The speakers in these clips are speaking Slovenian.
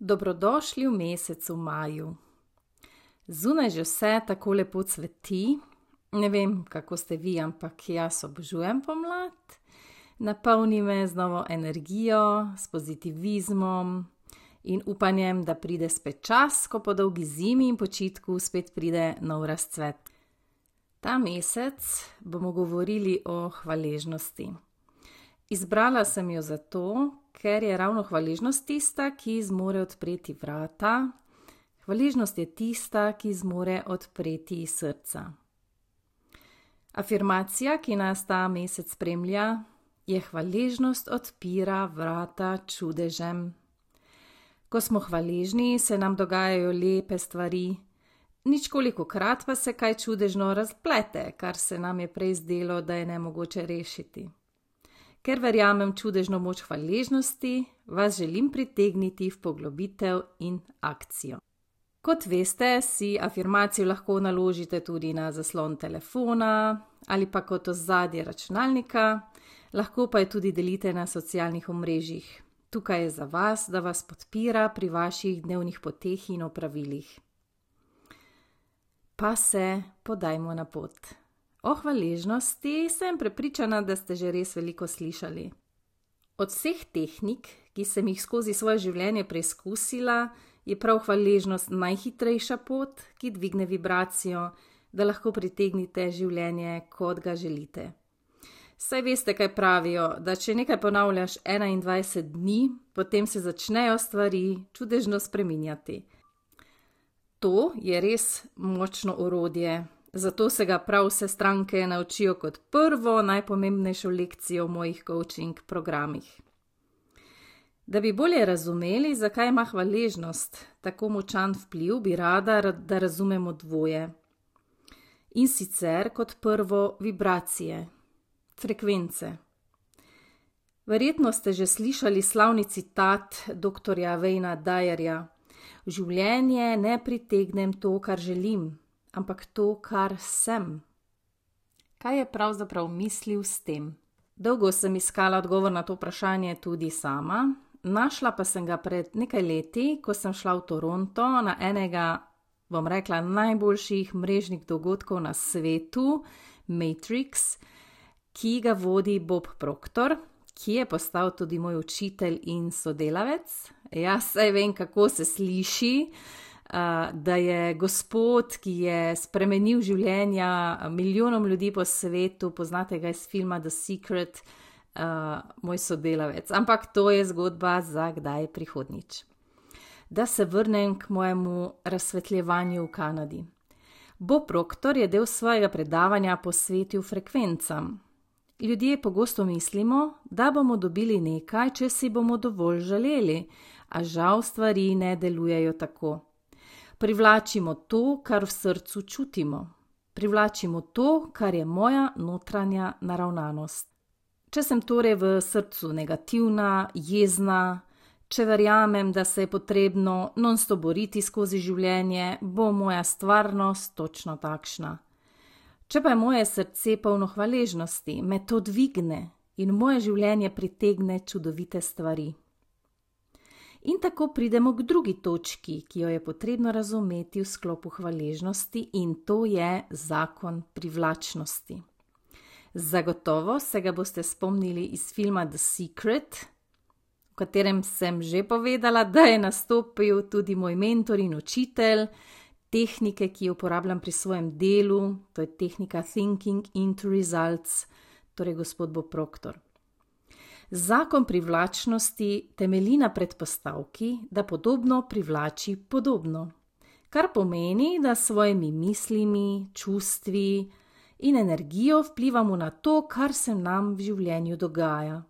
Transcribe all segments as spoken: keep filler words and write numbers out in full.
Dobrodošli v mesecu maju. Zunaj že vse tako lepo cveti. Ne vem, kako ste vi, ampak jaz obožujem pomlad. Napolni me z novo energijo, s pozitivizmom in upanjem, da pride spet čas, ko po dolgi zimi in počitku spet pride nov razcvet. Ta mesec bomo govorili o hvaležnosti. Izbrala sem jo zato, ker je ravno hvaležnost tista, ki zmore odpreti vrata. Hvaležnost je tista, ki zmore odpreti srca. Afirmacija, ki nas ta mesec spremlja, je: hvaležnost odpira vrata čudežem. Ko smo hvaležni, se nam dogajajo lepe stvari. Ničkolikokrat pa se kaj čudežno razplete, kar se nam je prej zdelo, da je nemogoče rešiti. Ker verjamem čudežno moč hvaležnosti, vas želim pritegniti v poglobitev in akcijo. Kot veste, si afirmacijo lahko naložite tudi na zaslon telefona ali pa kot ozadje računalnika, lahko pa jo tudi delite na socialnih omrežjih. Tukaj je za vas, da vas podpira pri vaših dnevnih poteh in opravilih. Pa se podajmo na pot. O hvaležnosti sem prepričana, da ste že res veliko slišali. Od vseh tehnik, ki sem jih skozi svoje življenje preizkusila, je prav hvaležnost najhitrejša pot, ki dvigne vibracijo, da lahko pritegnite življenje, kot ga želite. Saj veste, kaj pravijo, da če nekaj ponavljaš enaindvajset dni, potem se začnejo stvari čudežno spreminjati. To je res močno orodje. Zato se ga prav vse stranke naučijo kot prvo najpomembnejšo lekcijo v mojih coaching programih. Da bi bolje razumeli, zakaj ima hvaležnost tako močan vpliv, bi rada, da razumemo dvoje. In sicer kot prvo vibracije, frekvence. Verjetno ste že slišali slavni citat doktorja Wayna Dyerja: v življenje ne pritegnem to, kar želim, ampak to, kar sem. Kaj je pravzaprav mislil s tem? Dolgo sem iskala odgovor na to vprašanje tudi sama, našla pa sem ga pred nekaj leti, ko sem šla v Toronto na enega, bom rekla, najboljših mrežnih dogodkov na svetu, Matrix, ki ga vodi Bob Proctor, ki je postal tudi moj učitelj in sodelavec. Jaz saj vem, kako se sliši, da je gospod, ki je spremenil življenja milijonom ljudi po svetu, poznate ga iz filma The Secret, moj sodelavec. Ampak to je zgodba za kdaj prihodnjič. Da se vrnem k mojemu razsvetljevanju v Kanadi. Bob Proctor je del svojega predavanja posvetil frekvencam. Ljudje pogosto mislimo, da bomo dobili nekaj, če si bomo dovolj želeli, a žal stvari ne delujejo tako. Privlačimo to, kar v srcu čutimo. Privlačimo to, kar je moja notranja naravnanost. Če sem torej v srcu negativna, jezna, če verjamem, da se je potrebno non-stop boriti skozi življenje, bo moja stvarnost točno takšna. Če pa je moje srce polno hvaležnosti, me to dvigne in moje življenje pritegne čudovite stvari. In tako pridemo k drugi točki, ki jo je potrebno razumeti v sklopu hvaležnosti, in to je zakon privlačnosti. Zagotovo se ga boste spomnili iz filma The Secret, v katerem sem že povedala, da je nastopil tudi moj mentor in učitelj, tehnike, ki jo uporabljam pri svojem delu, to je tehnika Thinking into Results, torej gospod Bob Proctor. Zakon privlačnosti temelji na predpostavki, da podobno privlači podobno, kar pomeni, da s svojimi mislimi, čustvi in energijo vplivamo na to, kar se nam v življenju dogaja.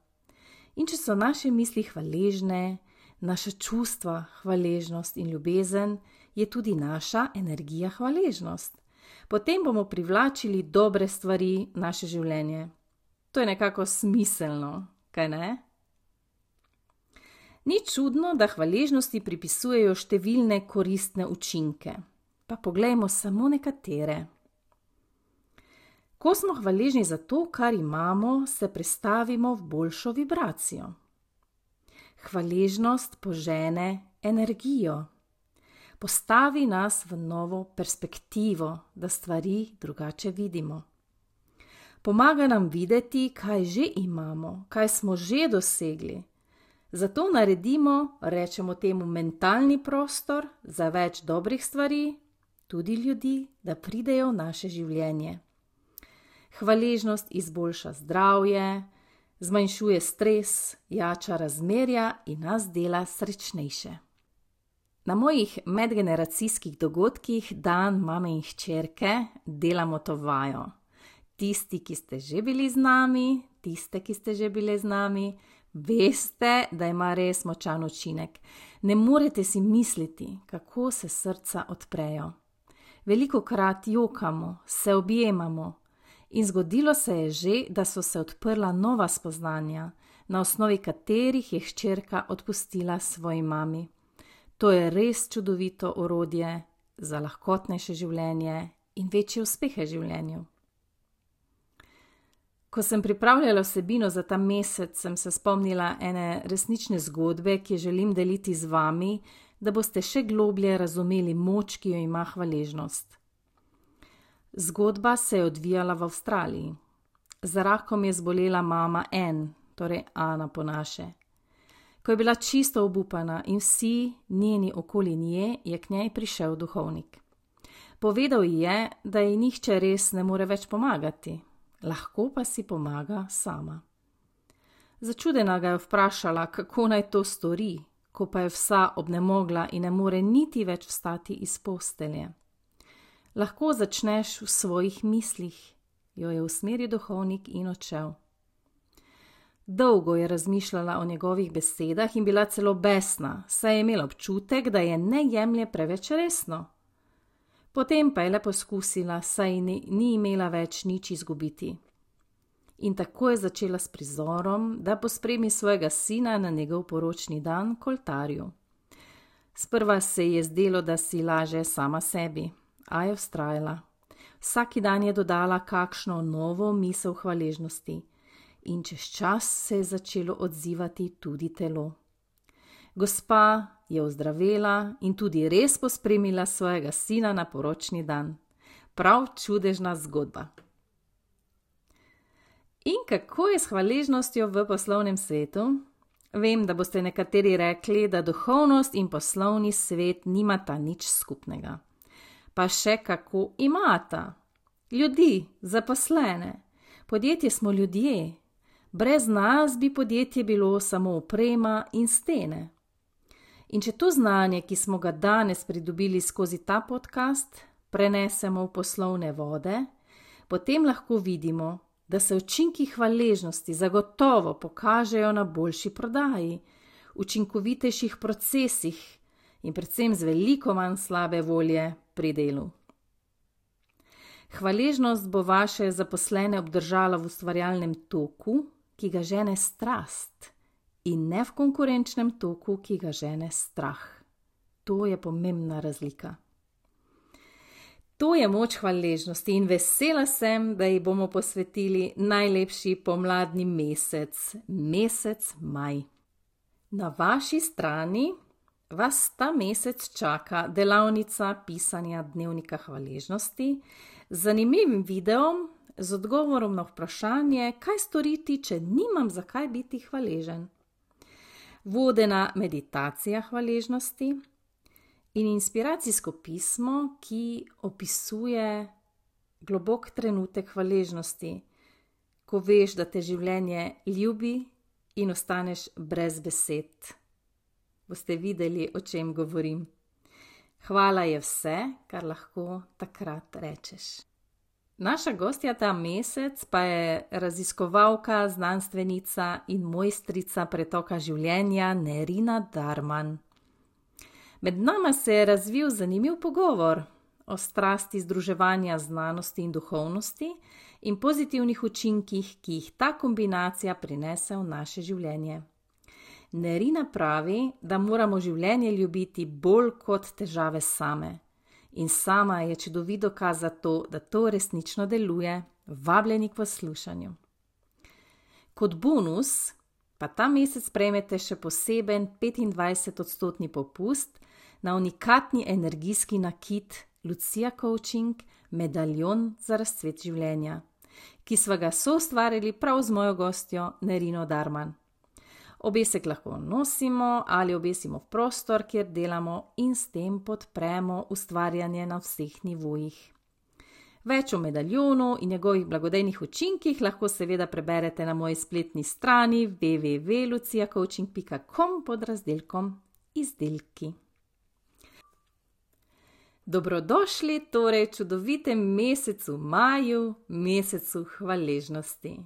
In če so naše misli hvaležne, naša čustva hvaležnost in ljubezen, je tudi naša energija hvaležnost. Potem bomo privlačili dobre stvari v naše življenje. To je nekako smiselno. Kaj ne? Ni čudno, da hvaležnosti pripisujejo številne koristne učinke. Pa poglejmo samo nekatere. Ko smo hvaležni za to, kar imamo, se prestavimo v boljšo vibracijo. Hvaležnost požene energijo. Postavi nas v novo perspektivo, da stvari drugače vidimo. Pomaga nam videti, kaj že imamo, kaj smo že dosegli. Zato naredimo, rečemo temu, mentalni prostor za več dobrih stvari, tudi ljudi, da pridejo v naše življenje. Hvaležnost izboljša zdravje, zmanjšuje stres, jača razmerja in nas dela srečnejše. Na mojih medgeneracijskih dogodkih dan mame in hčerke delamo to vajo. Tisti, ki ste že bili z nami, tiste, ki ste že bile z nami, veste, da ima res močan učinek. Ne morete si misliti, kako se srca odprejo. Velikokrat jokamo, se objemamo in zgodilo se je že, da so se odprla nova spoznanja, na osnovi katerih je hčerka odpustila svoji mami. To je res čudovito orodje za lahkotnejše življenje in večje uspehe v življenju. Ko sem pripravljala vsebino za ta mesec, sem se spomnila ene resnične zgodbe, ki jo želim deliti z vami, da boste še globlje razumeli moč, ki jo ima hvaležnost. Zgodba se je odvijala v Avstraliji. Za rakom je zbolela mama Ann, torej Ana po naše. Ko je bila čisto obupana in vsi njeni okoli nje, je k njej prišel duhovnik. Povedal ji je, da ji nihče res ne more več pomagati. Lahko pa si pomaga sama. Začudena ga je vprašala, kako naj to stori, ko pa je vsa obnemogla in ne more niti več vstati iz postelje. Lahko začneš v svojih mislih, jo je usmeril duhovnik in odšel. Dolgo je razmišljala o njegovih besedah in bila celo besna, saj je imela občutek, da je ne jemlje preveč resno. Potem pa je le poskusila, saj ni, ni imela več nič izgubiti. In tako je začela s prizorom, da pospremi svojega sina na njegov poročni dan k oltarju. Sprva se je zdelo, da si laže sama sebi, a je vztrajala. Vsaki dan je dodala kakšno novo misel hvaležnosti in čez čas se je začelo odzivati tudi telo. Gospa je ozdravela in tudi res pospremila svojega sina na poročni dan. Prav čudežna zgodba. In kako je s hvaležnostjo v poslovnem svetu? Vem, da boste nekateri rekli, da duhovnost in poslovni svet nimata nič skupnega. Pa še kako imata. Ljudi, zaposlene. Podjetje smo ljudje. Brez nas bi podjetje bilo samo oprema in stene. In če to znanje, ki smo ga danes pridobili skozi ta podcast, prenesemo v poslovne vode, potem lahko vidimo, da se učinki hvaležnosti zagotovo pokažejo na boljši prodaji, učinkovitejših procesih in predvsem z veliko manj slabe volje pri delu. Hvaležnost bo vaše zaposlene obdržala v ustvarjalnem toku, ki ga žene strast, in ne v konkurenčnem toku, ki ga žene strah. To je pomembna razlika. To je moč hvaležnosti in vesela sem, da ji bomo posvetili najlepši pomladni mesec, mesec maj. Na vaši strani vas ta mesec čaka delavnica pisanja dnevnika hvaležnosti z zanimivim videom z odgovorom na vprašanje, kaj storiti, če nimam zakaj biti hvaležen. Vodena meditacija hvaležnosti in inspiracijsko pismo, ki opisuje globok trenutek hvaležnosti, ko veš, da te življenje ljubi in ostaneš brez besed. Boste videli, o čem govorim. Hvala je vse, kar lahko takrat rečeš. Naša gostja ta mesec pa je raziskovalka, znanstvenica in mojstrica pretoka življenja Nerina Darman. Med nama se je razvil zanimiv pogovor o strasti združevanja znanosti in duhovnosti in pozitivnih učinkih, ki jih ta kombinacija prinese v naše življenje. Nerina pravi, da moramo življenje ljubiti bolj kot težave same. In sama je čudovit dokaz za to, da to resnično deluje. Vabljeni k poslušanju. Kot bonus pa ta mesec prejmete še poseben petindvajset odstotni popust na unikatni energijski nakit Lucia Coaching medaljon za razcvet življenja, ki sva ga soustvarili prav z mojo gostjo Nerino Darman. Obesek lahko nosimo ali obesimo v prostor, kjer delamo in s tem podpremo ustvarjanje na vseh nivojih. Več o medaljonu in njegovih blagodejnih učinkih lahko seveda preberete na moji spletni strani w w w pika lucia coaching pika com pod razdelkom Izdelki. Dobrodošli torej v čudovitem mesecu maju, mesecu hvaležnosti.